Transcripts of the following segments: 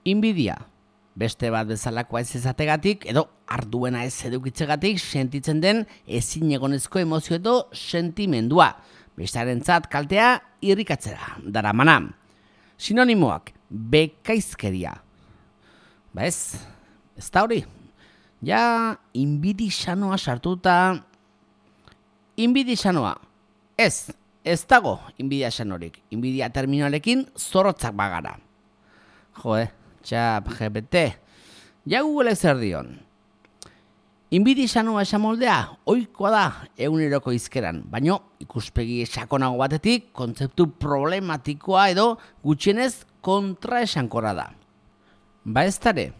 Inbidia, beste bat bezalakoa ez ezategatik edo arduena ez edukitzegatik sentitzen den ezinegonezko emozio edo sentimendua, bestearentzat kaltea irrikatzera daramana. Sinonimoak, bekaizkeria. Ez da hori. Ja, inbidixanoa sartuta. Inbidixanoa. Ez dago inbidia sanorik. Inbidia terminalekin zorrotzak bagara. Txap, GPT. Ja Google zer dion. Inbidixanoa esamoldea, ohikoa da eguneroko hizkeran, baino ikuspegi sakonago batetik kontzeptu problematikoa edo gutxienez kontraesankora da. Eztare,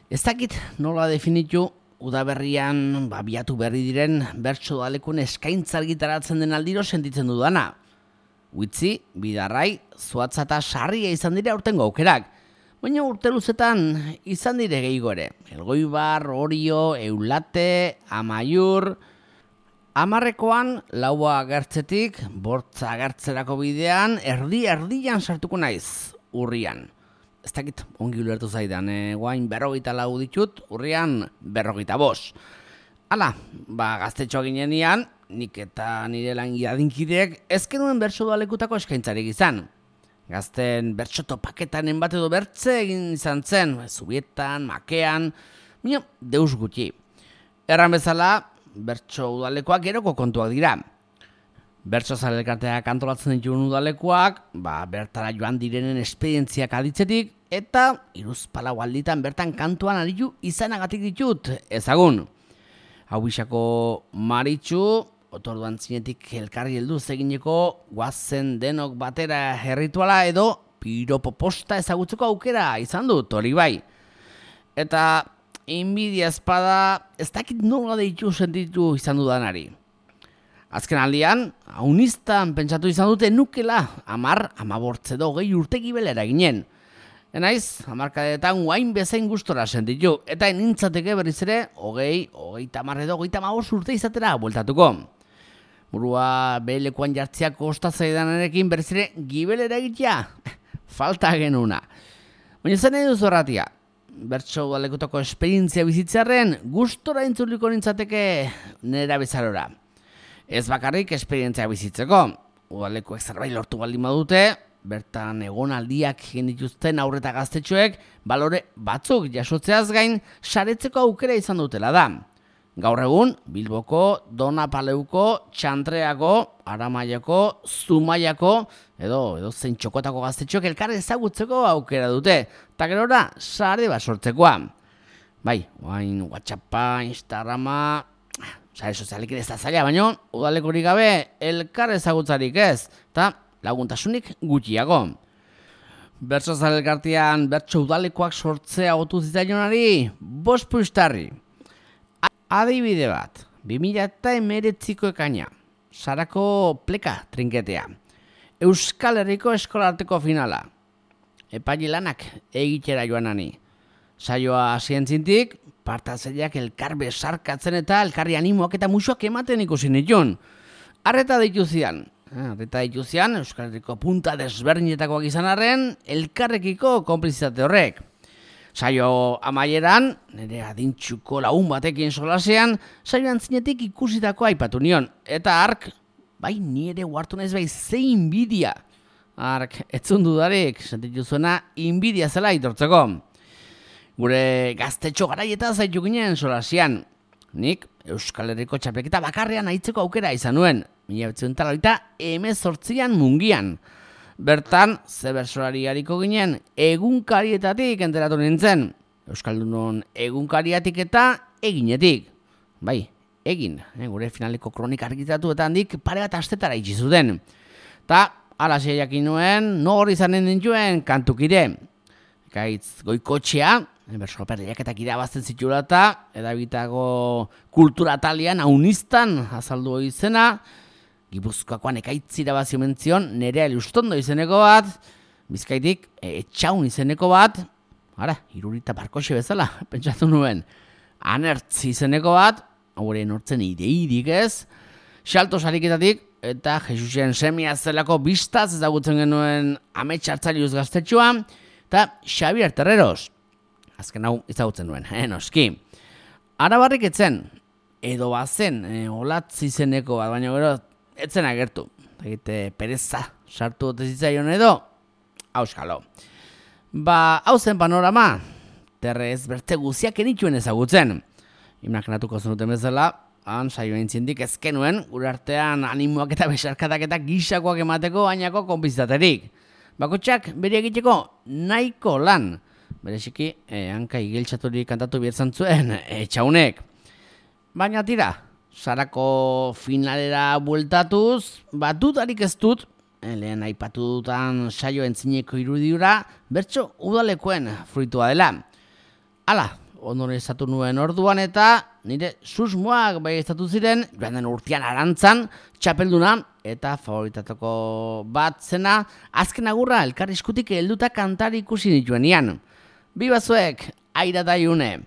ez dakit nola definitu udaberrian biatu berri diren bertso dalekun eskaintza argitaratzen den aldiro sentitzen dudana. Uitzi, bidarrai, zuatza eta sarria izan dira aurtengo aukerak, baina urte luzetan izan dire gehiago ere. Elgoibar, Orio, Eulate, Amaiur. Hamarrekoan laua agertzetik, bortza agertzerako bidean, erdian sartuko naiz, urrian. Ez dakit, ongi ulertu zaidan, guain 44 ditut, urrian 45. Hala, gaztetxoa ginenean, nik eta nire langi adinkideek ez genuen bertso dalekutako eskaintzarik izan. Gazten bertso topaketanen bat edo bertze egin izan zen, zubietan, makean, deus gutxi. Erran bezala, bertso udalekoak geroko kontuak dira. Bertso zalelkarteak antolatzen dituen udalekoak, bertara joan direnen esperientziak aditzetik, eta hiruzpalau alditan bertan kantuan aritu izanagatik ditut ezagun. Hau bisako Maritxu, otorduan zinetik elkarri helduz egineko guazen denok batera herrituala edo piropoposta ezagutzeko aukera izan dut, hori bai. Eta inbidia espada ez dakit nola deitu sentitu izan dudanari. Azken aldian, aunistan pentsatu izan dute nukela 10, 15 edo 20 urte gibelera ginen. Enaiz, 10 guain bezain gustora sentitu, eta nintzateke berriz ere 20, 30 edo 35 urte izatera bueltatuko. Burua behelekuan jartziak kostatzaidanerekin berriz ere gibelera egitea, falta genuna. Baina zen edo zorratia, bertso udalekutako esperientzia bizitzearen gustora intzuliko nintzateke nera bezalora. Ez bakarrik esperientzia bizitzeko, udalekuek zerbait lortu baldin badute, bertan egonaldiak egin dituzten aurreta gaztetxoek balore batzuk jasotzeaz gain saretzeko aukera izan dutela da. Gaur egun, Bilboko, Donapaleuko, Txantreako, Aramaiako, Zumaiako edo zein txokotako gaztetxoek elkar ezagutzeko aukera dute, eta gerora sare bat sortzekoa. WhatsAppa, Instagrama, sare sozialekin ez da zaila, baino udalekorik gabe elkar ezagutzarik ez, eta laguntasunik gutxiago. Bertso zalelkartean bertso udalekoak sortzea otu zitzaionari, 5 puistarri. Adibide bat, 2019ko ekaina, Sarako pleka trinketea, Euskal Herriko eskolarteko finala, epaile lanak egitera joanani. Saioa zientzintik, partatzaileak elkar besarkatzen eta elkarri animoak eta musuak ematen ikusi nituen. Arreta dituzian, Euskal Herriko punta desberdinetakoak izan arren, elkarrekiko konplizitate horrek. Saio amaieran, nire adintxuko lagun batekin solasean, saioan zinetik ikusitako aipatu nion. Eta ark, nire huartu naiz zein inbidia. Ark, etzun dudarik, sentitu zuena inbidia zela itortzeko. Gure gaztetxo garaieta zaitu ginen solasean. Nik Euskal Herriko txapelketa bakarrean aitzeko aukera izan nuen, 1918an Mungian. Bertan, zebersolari hariko ginen egunkarietatik enteratu nintzen. Euskaldunon egunkariatik eta eginetik. Egin, gure finaleko kronika argitaratu eta handik pare bat astetara itxizuden. Ta, alaxe jakin nuen, nor izanen dintuen kantukire. Gaitz goikotxea, bersoperriak eta irabazten zitula eta edabitago kultura talian aunistan azaldu izena, Gipuzkoakoan ekaitz irabazio mentzion, Nerea Ilustondo izeneko bat, Bizkaitik Etxaun izeneko bat, irurita barkoxe bezala, pentsatu nuen, Anertz izeneko bat, haure nortzen ideirik ez, Xalto sariketatik, eta Jesusen semia zelako bistaz ezagutzen genuen amets hartzaileuz gaztetxoa, eta Xabier Terreros. Azken hau izagutzen nuen, noski. Arabarrik etzen, edo bazen, olatzi zeneko bat, baina gero, etzen agertu. Egite pereza, sartu ote zitzaion edo, auskalo. Hau zen panorama, terrez berte guziak enituen ezagutzen. Imaginatuko zenuten bezala, han saio entzindik ezkenuen, gure artean animoak eta besarkatak eta gisakoak emateko bainako konpizitaterik. Bakotxak bere egiteko nahiko lan. Bereziki, hanka igiltxaturik kantatu bietzan zuen, etxaunek. Baina tira, sarako finalera bueltatuz, bat dudarik ez dut, lehen aipatu dutan saio entzineko irudiura, bertso udalekoen fruitua dela. Hala, ondorizatu nuen orduan eta nire susmoak baiestatu ziren, joan den urtean arantzan, txapelduna eta favoritatoko bat zena, azken agurra elkarrizkutik helduta kantari ikusi nituenian. Bi bazuek, aira da iune.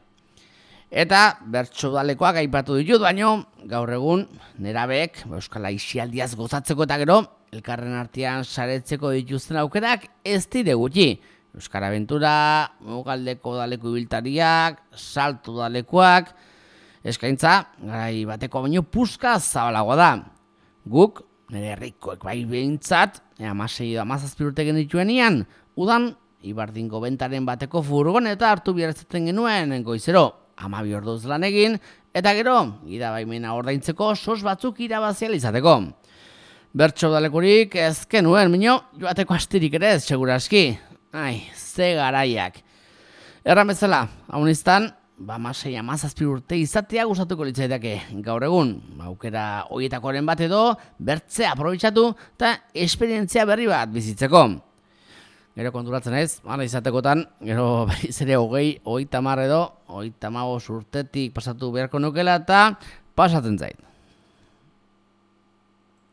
Eta bertso udalekoak aipatu ditut, baino gaur egun nerabeek euskal aisialdiaz gozatzeko eta gero elkarren artean saretzeko dituzten aukerak ez dire gutxi. Euskara Aventura, Mugaldeko udaleko ibiltariak, Salto udalekoak, eskaintza garai bateko baino puska zabalagoa da. Guk, nire herrikoek bai behintzat, 16 edo 17 urte genituenian, udan Ibardingo bentaren bateko furgoneta hartu bihartzaten genuen goizero, 12 orduz lan egin, eta gero, gidabaimena ordaintzeko sos batzuk irabazial izateko. Bertso udalekurik ezken nuen, minio, joateko astirik ere ez, seguraski. Ai, ze garaiak. Erran bezala, hauniztan, 16, 17 urte izatea gustatuko litzaidake gaur egun. Aukera horietakoren bat edo, bertzea aprobetxatu eta esperientzia berri bat bizitzeko. Gero konturatzen ez, hala izatekotan, gero berriz ere 20, 30 edo 35 urtetik pasatu beharko nukela eta pasatzen zait.